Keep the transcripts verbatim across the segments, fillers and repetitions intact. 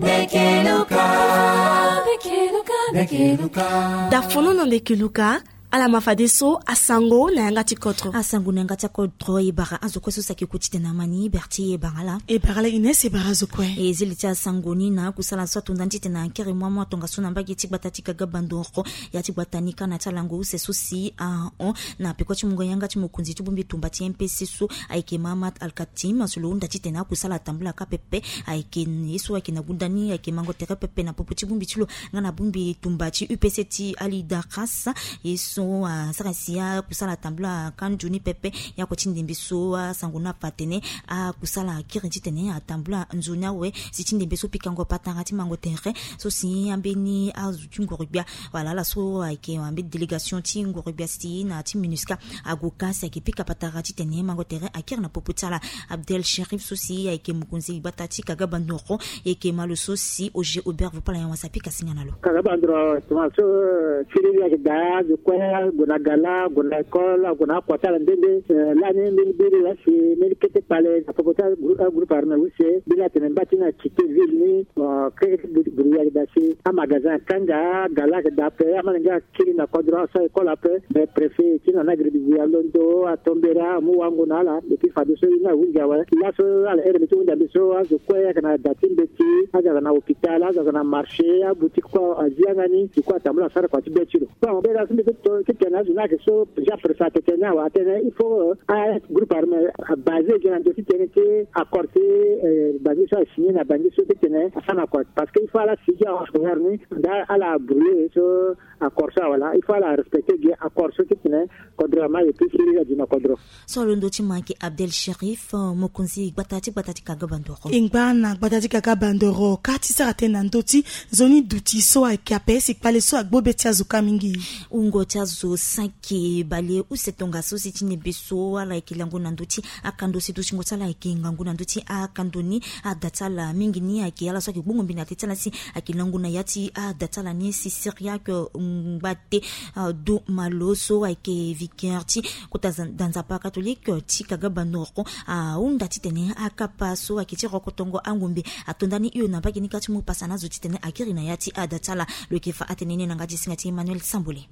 Ndeke Luka. Ndeke Luka. Ndeke Luka. Dafono na Ndeke Luka. Ala ma fadeso asango na yanga ti kodro. Asango na yanga ti kodro e bara azo kue so si ayeke ku titene amani berti e bara ala. E bara ala Ines, e bara azo kue. E zili ti asango ni na akusala so atonda ni titene akiri mua mua tongaso na mbage ti gbata ti Kaga Bandoro. Ya ti gbata ni ka na ti alango use so si ahon na peko ti mungo yanga ti mokonzi ti bongbi tumba ti M P C so ayeke Mahamat Al Katim so lo hunda titene akusala atambula ka pepe. Ayeke ye so ayeke na gunda ni ayeke mango tere pepe na popo ti bongbi ti lo nga na bongbi tumba ti U P C ti Ali Daras. Ye so asara si akusala atambula ka nzoni pepe. Ye ako ti ndembe so asango ni afa atene akusala akiri titene atambula nzoni awe si ti ndembe so pikango patara ti mango tere so si ambeni azo ti ngoro-gbia. Wala ala so ayeke ambeni délégation ti ngoro-gbia si na ti MINUSCA ague ka si ayeke pika patara titene mango tere akiri na popo ti ala. Abdel Sherif so si ayeke mokonzi gbata ti Kaga Bandoro, e yeke ma lo so si Oger Aubert Vopala Yawas apika singa na lo. Kaga Bandoro tuma so, eh, siriri ayeke daa, azo kue ague na gala, ague na école, ague na akua ti ala nde nde. Eh, lani mbeni biri laa si mbeni kete kpale na popo ti agroupe, agroupe armé use, mbeni atene mba ti na cité ville ni, bon, keke ti biri, biri ayeke daa si amagasin akanga, agala ayeke daa ape, amalenge akiri na kodro, aso école ape. Mais préfet ti na ni agiri bizi alondo, atombere amu wango na ala. Et puis fadeso ye ni ahunzi awe. Laso ala ere mbi ti hunzi ambi so, azo kue ayeke na da ti mbeti, azo ayeke na hôpital, azo ayeke na marché, aboutique kue azi yanga ni, du coup atambula asara kua ti be ti lo. Bon, be la so mbi ti to titene azo ni ayeke so, ja préfet atene ni awe, atene il faut, euh, agroupe armé abasé gi na ndo titene ti accord ti, euh, Bangui so asigné na Bangui so titene asara na kua. Parce que il faut ala sigi ahon ni, nda ala brûlé so accord so awe laa, il faut ala respecté gi accord so titene kodro ama ye ti siriri adi na kodro. So alondo ti mo ayeke Abdel Sherif, euh, mokonzi gbata ti gbata ti Kaga Bandoro. E ngba na gbata ti Kaga Bandoro ka ti sara tënë na ndö ti nzoni duti so ayeke ape si kpale so agbo be ti azo ka mingi. Wungo ti azo saki bale use tongaso si ti ndembe so ala yeke lango na ndö ti akando si dutingo ti ala ayeke ngangu na ndö ti akando ni. Ada ti ala mingi ni ayeke ala so ayeke gbongo mbi na te ti ala si ayeke lango na ya ti ada ti ala ni si Syriaque, euh, Ngbate, euh, Domalo so ayeke vicaire ti kota za-, da nzapa catholique, euh, ti Kaga Bandoro, euh, ahunda titene akapa so ayeke ti rokotongo angombe atonda ni hio na mbage ni ka ti mu pasa na azo titene akiri na ya ti ada ti ala. Lo yeke fa atene ni na yanga ti singa ti Emmanuel Sambole.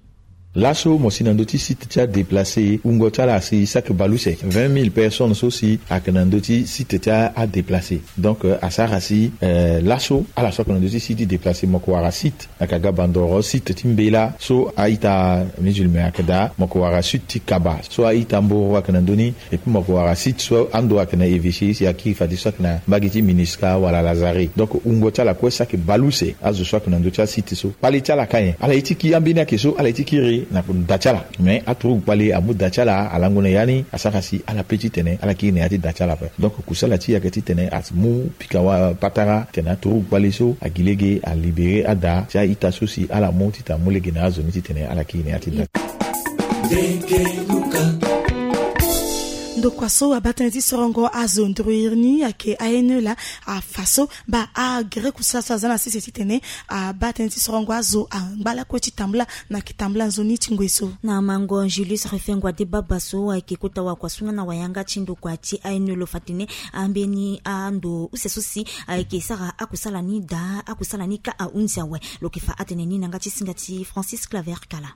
Laso mo si na ndö ti site ti adéplacé, wungo ti ala asi saki bale use, vingt mille personnes so si ayeke na ndö ti site ti adéplacé. Donc, euh, asara si, euh, laso ala so ayeke na ndö ti site ti déplacé mo yeke wara site na Kaga Bandoro, site ti mbela so a-ita musulman ayeke daa, mo yeke wara site ti Kaba so a-ita mboro ayeke na ndö ni. Et puis mo yeke wara site so ando ayeke na évêché si akiri fadeso ayeke na mbage ti MINUSCA wala Lazare. Donc wungo ti ala kue saki bale use, azo so ayeke na ndö ti asite so. Kpale ti ala ka nyen? Ala ye ti kiri ambeni ayeke so, ala ye ti kiri na da ti ala. Mais aturugu kpale amu da ti ala alango na ya ni, asara si ala pe titene ala kiri na ya ti da ti ala ape. Donc kusala ti e ayeke titene amu pika wa patara titene aturugu kpale so agi lege alibéré ada ti a-ita so si ala mu titene amu lege na azo ni titene ala kiri na ya ti da. Ndokua so abaa tënë ti sorongo azo nduru iri ni ayeke A N E laa, afa so baa agere kusala so aza na sese titene abaa tënë ti sorongo azo angba lakue ti tambula na yeke tambula nzoni ti ngoi so. Na mango Julius Rufengo Adebaba so ayeke kota wakua so nga na wayanga ti ndokua ti A N E lo fa tene ambeni ando use so si ayeke sara akusala ni daa, akusala ni ka ahunzi awe. Lo yeke fa atene ni na yanga ti singa ti Francis Claver Kala.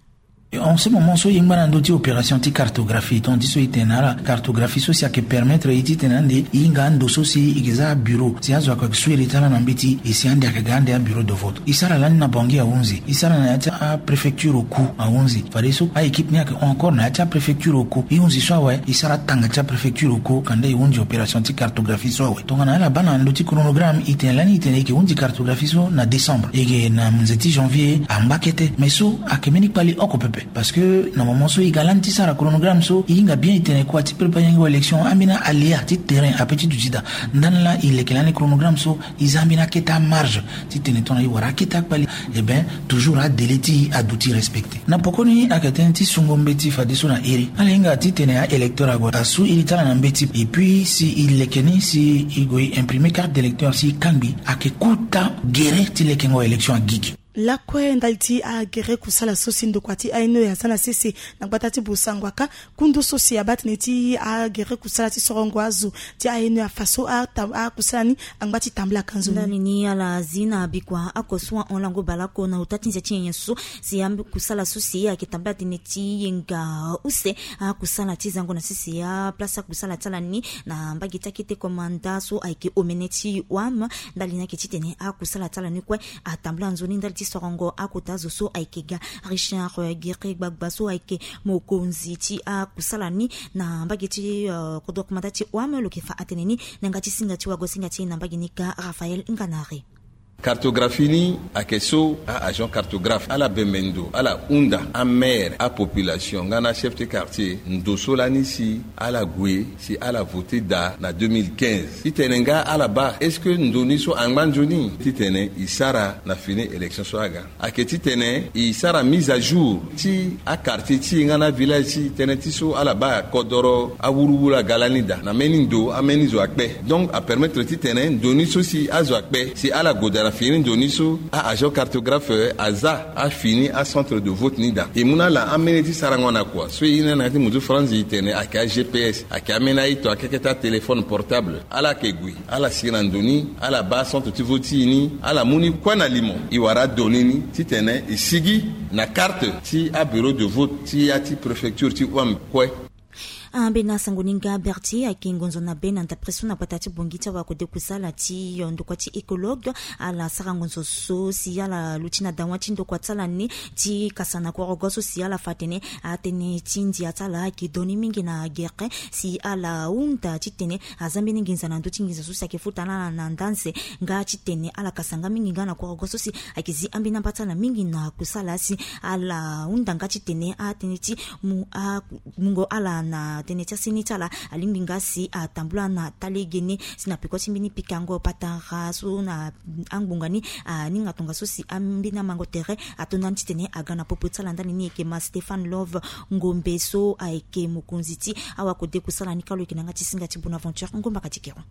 En ce moment so e ngba na ndö ti opération ti cartographie, donc ti so e tene na ala cartographie so si ayeke permettre e titene ande e hinga ando so si e yeke za abureau si azo ayeke su iri ti ala na mbeti, e si ande ayeke ga ande abureau de vote. E sara lani na Bangui ahunzi, e sara na ya ti apréfecture Oku ahunzi. Fadeso a-équipe ni ayeke hon encore na ya ti apréfecture Oku. E hunzi so awe, e sara tanga ti apréfecture Oku, kanda e hunzi opération ti cartographie so awe. Tongana ala baa na ndö ti chronogramme, e tene lani e tene e yeke hunzi cartographie so na décembre. E yeke na nze ti janvier angba kete. Mais so ayeke mbeni kpali oko pepe. Parce que na moment so e ga lani ti sara chronogramme so, e hinga bien e tene kua ti préparer yango élection, ambeni aléa ti terrain ape ti duti daa. Ndani laa e leke lani chronogramme so, e za ambeni akete amarge titene tongana e wara akete akpali, eh ben, toujours adélai ti e aduti respecté. Na pokoni ayeke tënë ti sungo mbeti fadeso na iri. Ala hinga titene a-électeur ague asu iri ti ala na mbeti. Et puis si e leke ni si e gue e imprimer carte d'électeur si e kangbi, ayeke kota gere ti lekengo élection agigi. Lakue ndali ti agere kusala so si ndokua ti A N E aza na sese na gbata ti Bosanguaka, kundu so si abaa tënë ti agere kusala ti sorongo azo ti A N E afa so ata- akusala ni angba ti tambula ka nzoni. Ndani ni ala zi na bikua oko so ahon lango baleoko na ota ti nze ti nyenye so si akusala so si ayeke tambula tënë ti yenga use akusala ti zango na sese aplace akusala ti ala ni na mbage ti akete komanda so ayeke omene ti wam. Ndali ni ayeke titene akusala ti ala ni kue atambula nzoni ndali ti sorongo akota zo so ayeke ga. Richard, eh, Gere Gbagba so ayeke mokonzi ti akusala ni na mbage ti, eh, kodro komanda ti wam lo yeke fa atene ni na yanga ti singa ti wago singa ti e na mbage ni ka Raphaël Nganare. Cartographie ni ayeke so a-agent cartographe ala bembe ndo ala hunda amaire, apopulation nga na achef ti quartier ndo so lani si ala gue si ala vote daa na deux mille quinze. Titene nga ala baa est-ce que ndo ni so angba nzoni titene e sara na fini élection so aga. Ayeke titene e sara mise à jour ti aquartier ti e nga na avillage ti e tënë ti so ala baa kodoro awuruwuru aga lani daa na mbeni ndo ambeni zo akpe. Donc apermettre titene ndo ni so si azo akpe si ala gue daa na fini ndo ni so a-agent cartographe aza afini acentre de vote ni daa. E mu na ala ambeni ti sarango na kua so e ye ni na yanga ti muzu franzi titene ayeke a-G P S, ayeke ambeni aye to akeke ti atéléphone portable. Ala yeke gue ala si na ndo ni, ala baa centre ti vote ti e ni, ala mu ni kue na limo. E wara adonnées ni titene e sigi na carte ti abureau de vote ti ya ti préfecture ti wam kue. Ambeni asango ni nga Berti ayeke ngonzo na be na ndapre so na gbata ti Bongi ti awakode kusala ti ndokua ti écologue. Ala sara ngonzo so si ala luti na dawa ti ndokua ti ala ni ti kasa na korogo so si ala fa atene atënë ti ndia ti ala ayeke do ni mingi na gere si ala hunda titene aza mbeni nginza na ndö ti nginza so si ayeke futa na ala na nda nze nga titene ala kasa nga mingi nga na korogo so si ayeke zi ambeni amba ti ala mingi na kusala si ala hunda nga titene atënë ti mu a- mungo ala na tënë ti aseni ti ala alingbi nga si atambula na talegene si na peko ti mbeni pikango patara so na angbonga ni aninga tongaso si ambeni amango tere ato ndani titene aga na popo ti ala ndani ni eke ma Stéphane Love Ngombe so ayeke mokonzi ti awakode kusala ni kalo eke na yanga ti singa ti Bonaventure Ngomba Katikero.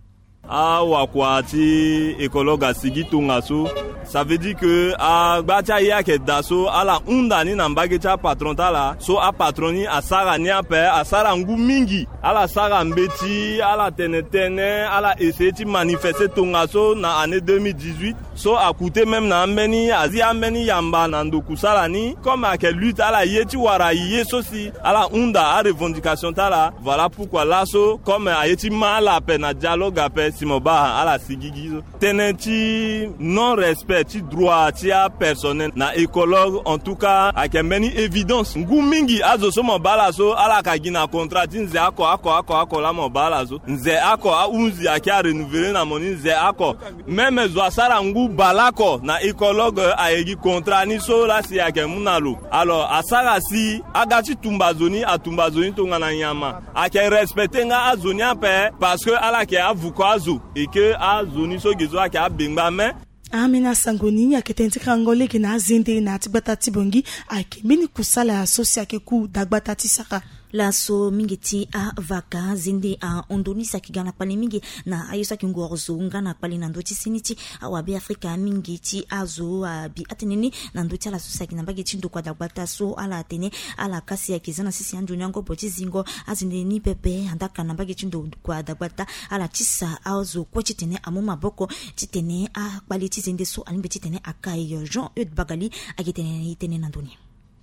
Awakua ti écologue asigi tongaso. Ça veut dire que agba ti aye ayeke daa so ala hunda ni na mbage ti apatron ti ala so apatron ni asara ni ape asara ngu mingi. Ala sara mbeti ala tene tënë ala essayer ti manifester tongaso na année deux mille dix-huit. So akute même na ambeni azi ambeni yamba na ndo kusala ni comme ayeke lutte ala ye ti wara ye so si ala hunda arevendication ti ala. Voilà pourquoi laso comme aye ti ma ala ape na dialogue ape si mo baa ala sigigi so tënë ti non respect ti droit ti apersonnel na écologue en tout cas ayeke mbeni évidence ngu mingi azo so mo baa ala so ala ka gi na contrat ti nze oko oko oko oko laa mo baa ala so nze oko ahunzi ayeke arenouveler na mo ni nze oko. Même zo asara ngu baleoko na écologue ayeke gi contrat ni so laa si ayeke mu na lo. Alors asara si aga ti tumba zo ni atumba zo ni tongana nyama. Ayeke respecter nga azo ni ape parce que ala yeke avuko azo et que azo ni so ge so ayeke abengba me. Ambeni asango ni ayeke tënë ti karango lege na azende na ya ti gbata ti Bongi. Ayeke mbeni kusala so si ayeke ku dagbata ti sara. Laso mingi ti avaka zende ahon ndo ni si ayeke ga na kpale mingi na aye so ayeke ngoro zo nga na kpale na ndö ti seni ti awabe afrika mingi ti azo abi atënë ni na ndö ti ala so si ayeke na mbage ti ndokua dagbata so ala atene ala kasi ayeke za na sese anzoni angobo ti zingo azende ni pepe andaka na mbage ti ndokua dagbata ala tisa azo kue titene amu maboko titene akpale ti zende so alingbi titene akai. Jean Eude Bagali ayeke tene na ndö ni.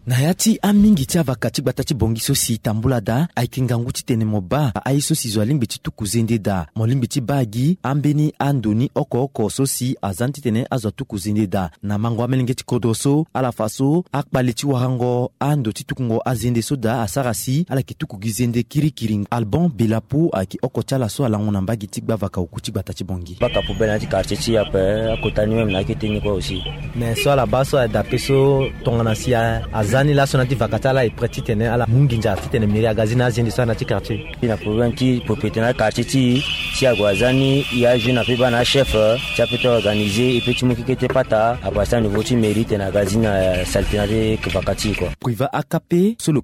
Na ya ti amingi ti avaka ti gbata ti Bongi so si tambula daa ayeke ngangu titene mo baa aye so si zo alingbi ti tuku zende daa mo lingbi ti baa gi ambeni ando ni oko oko so si aza ni titene azo atuku zende daa. Na mango amelenge ti kodro so ala fa so akpale ti warango ando ti tukungo azende so daa asara si ala yeke tuku gi zende kirikiri. Alban Belapo ayeke oko ti ala so alango na mbage ti gbavaka oku ti gbata ti Bongi. Baka poubelle na ya ti quartier ti e ape akota ni même na akete ni kue aussi. Mais so ala baa so adape so tongana si aza ni laso na ya ti vaka ti ala e prêt titene ala mu nginza titene mairie aga zi na azende so ana ti quartier. E na problème ti propriété na quartier ti e si ague aza ni e ajoue na pe baa na achef ti ape ti organisé e pe ti mu keke ti pata apasa niveau ti mairie tene aga zi na saleté na ya ti vaka ti e kua. Priva akape so lo